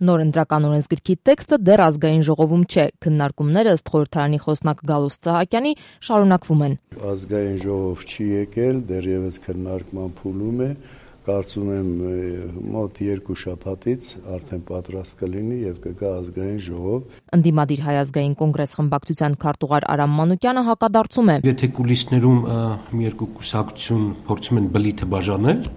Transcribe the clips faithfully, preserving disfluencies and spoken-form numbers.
Նոր ընտրական օրենսգրքի տեքստը դեռ ազգային ժողովում չէ, քննարկումները ըստ խորհրդարանի խոսնակ Գալուստ Սահակյանի շարունակվում են։ Ազգային ժողով չի եկել, դեռևս քննարկման փուլում է, կարծում եմ մոտ երկու շաբաթից արդեն պատրաստ կլինի եւ կգա ազգային ժողով։ Ընդդիմադիր Հայ ազգային կոնգրես խմբակցության քարտուղար Արամ Մանուկյանը հակադարձում է։ Եթե կուլիսներում մի երկու կուսակցություն փորձում են բլիթը բաժանել,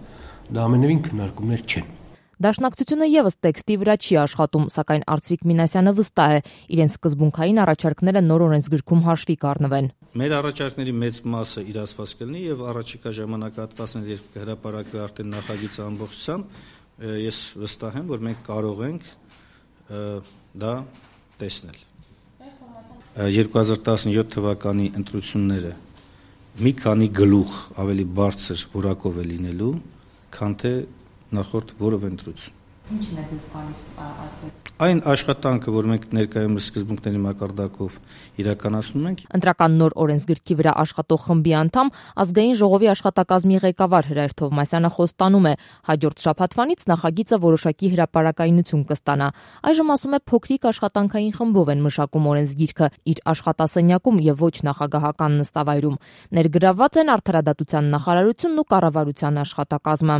դա ամենևին քննարկումներ չեն։ Դաշնակցությունը եւս տեքստի վրա չի աշխատում, սակայն Արծվիկ Մինասյանը վստահ է, իրենց սկզբունքային առաջարկները նոր օրենսգրքում հաշվի կառնվեն։ Մեր առաջարկների մեծ մասը իրացված կլինի եւ առաջիկա ժամանակահատվածներ, երբ կհրապարակվի արդեն նախագիծը ամբողջությամբ, ես վստահ եմ, որ մենք կարող ենք դա տեսնել։ երկու հազար տասնյոթ թվականի ընտրությունները մի քանի գլուխ ավելի բարձր որակով է լինելու, քան թե նախորդ որևէ ընտրություն։ Ինչն է ձեզ տալիս այդպես։ Այն աշխատանքը, որ մենք ներկայումս սկզբունքների մակարդակով իրականացնում ենք։ Ընտրական նոր օրենսգրքի վրա աշխատող խմբի անդամ ազգային ժողովի աշխատակազմի ղեկավար Հրայր Թովմասյանը խոստանում է, հաջորդ շաբաթվանից նախագիծը որոշակի հրապարակայնություն կստանա։ Այժմ ասում է փոքրիկ աշխատանքային խմբով են մշակում օրենսգիրքը իր աշխատասենյակում եւ ոչ նախագահական նստավայրում։ Ներգրավված են Արդարադատության նախարարությունն ու կառավարության աշխատակազմը։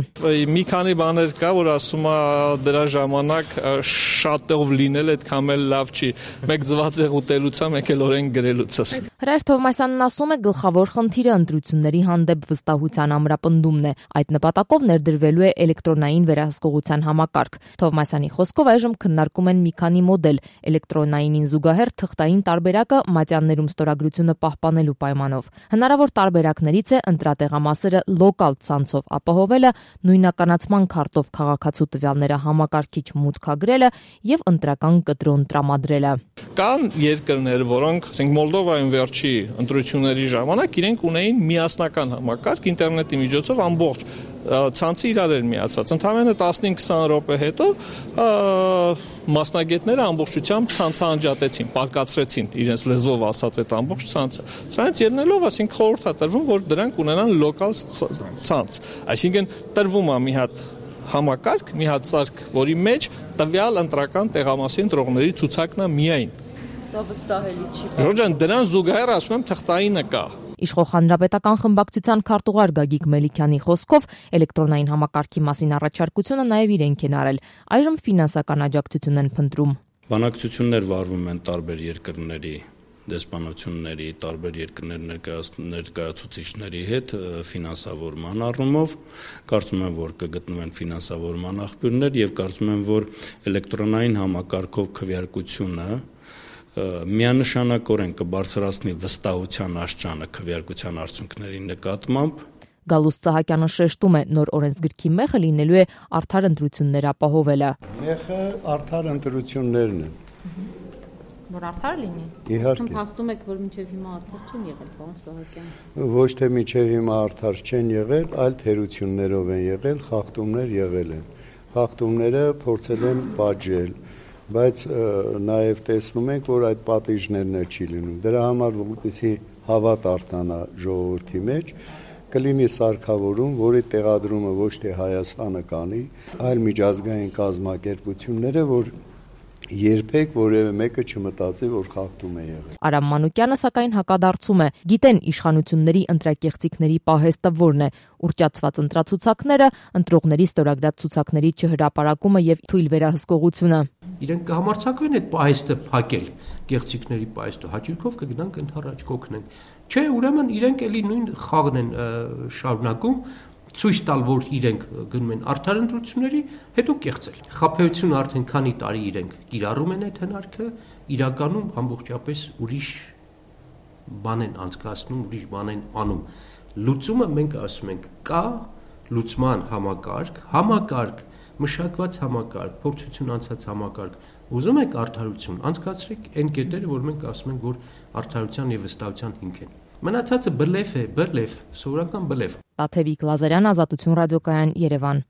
Մի քանի բաներ կա, որ ասում է դրա ժամանակ շատով լինել այդքան էլ լավ չի։ Մեկ ձվածեղ ուտելուց, մեկ էլ օրենք գրելուց։ Հրայր Թովմասյանն ասում է, գլխավոր խնդիրը ընտրությունների հանդեպ վստահության ամրապնդումն է։ Այդ նպատակով ներդրվելու է էլեկտրոնային վերահսկողության համակարգ։ Թովմասյանի խոսքով այժմ քննարկում են մի քանի մոդել՝ էլեկտրոնայինին զուգահեռ թղթային տարբերակը մատյաններում ստորագրությունը պահպանելու պայմանով։ Հնարավոր տարբերակներից է ընտրատեղամասերը լոկալ ցանցով ապահովելը, նույնականացման քարտով քաղաքացու տվյալները համակարգիչ մուտքագրելը եւ ընտրական կտրոն տրամադրելը։ Կան երկրներ, որոնք, ասենք Մոլդովայում վերջի ընտրությունների ժամանակ իրենք ունեին միասնական համակարգ, ինտերնետի միջոցով ամբողջ ցանցը իրար էր միացած։ Ընդամենը տասնհինգ քսան րոպե հետո մասնագետները ամբողջությամբ ցանցը անջատեցին, պարկացրեցին իրենց լեզվով ասած այդ ամբողջ ցանցը։ Սրանից ելնելով, ասենք խորհուրդ է տրվում, որ դրանք ունենան լոկալ ցանց, այսինքն տրվում է մի հատ համակարգ, մի հատ սարք, որի մեջ տվյալ ընտրական տեղամասի ընտրողների ցուցակն է միայն։ Դա վստահելի չի։ Ժորժան, դրան զուգահեռ ասում եմ թղթայինը կա։ Իշխող հանրապետական խմբակցության քարտուղար Գագիկ Մելիքյանի խոսքով էլեկտրոնային համակարգի մասին առաջարկությունը նաև իրենք են արել։ Այժմ ֆինանսական աջակցություն են փնտրում։ Բանակցություններ վարվում են տարբեր երկրների դեսպանությունների, տարբեր երկրների ներկայացուցիչների հետ ֆինանսավորման առումով, կարծում եմ, որ կգտնվեն ֆինանսավորման աղբյուրներ եւ կարծում եմ, որ էլեկտրոնային համակարգով քվեարկությունը միանշանակորեն կբարձրացնի վստահության աստիճանը քվեարկության արդյունքների նկատմամբ։ Գալուստ Սահակյանը շեշտում է, նոր օրենսգրքի մեխը լինելու է արդար ընտրություններ ապահովելը։ Մեխը արդար ընտրություններն են։ Որ արդար լինի։ Իհարկե։ Փաստում եք, որ մինչև հիմա արդար չեն եղել, պարոն Սահակյան։ Ոչ թե մինչև հիմա արդար չեն եղել, այլ թերություններով են եղել, խախտումներ եղել են։ Խախտումները փորձել են պատժել, բայց նաև տեսնում ենք, որ այդ պատիժներն չի լինում։ Դրա համար, որպեսզի հավատ արտանա ժողովրդի մեջ, կլինի սարքավորում, որի տեղադրումը ոչ թե Հայաստանը կանի, այլ միջազգային կազմակերպությունները, որ երբեք որևէ մեկը չմտածի, որ խախտում է եղել։ Արամ Մանուկյանը սակայն հակադարձում է. գիտեն իշխանությունների ընտրակեղծիքների պահեստը որն է՝ ուռճացված ընտրացուցակները, ընտրողների ստորագրած ցուցակների չհրապարակումը եւ թույլ վերահսկողությունը։ Իրենք կհամարձակվեն այդ պահեստը փակել, կեղծիքների պահեստը, հաճույքով կգնանք ընդառաջ կօգնենք։ Չէ, ուրեմն իրենք էլի նույն խաղն են շարունակում, ցույց տալ, որ իրենք գնում են արդար ընտրությունների, հետո կեղծել։ Խաբեությունը արդեն քանի տարի իրենք կիրառում են այդ հնարքը, իրականում ամբողջապես ուրիշ բան են անցկացնում, ուրիշ բան են անում։ Լուծումը մենք ասում ենք, կա լուծման համակարգ, համակարգ, մշակված համակարգ, փորձություն անցած համակարգ։ Ուզում եք արդարություն, անցկացրեք այն կետերը, որ մենք ասում ենք, որ արդարության եւ վստահության հիմք են։ Մնացածը բլեֆ է, բլեֆ, սովորական բլեֆ։ Տաթևիկ Լազարյան, Ազատություն ռադիոկայան, Երևան։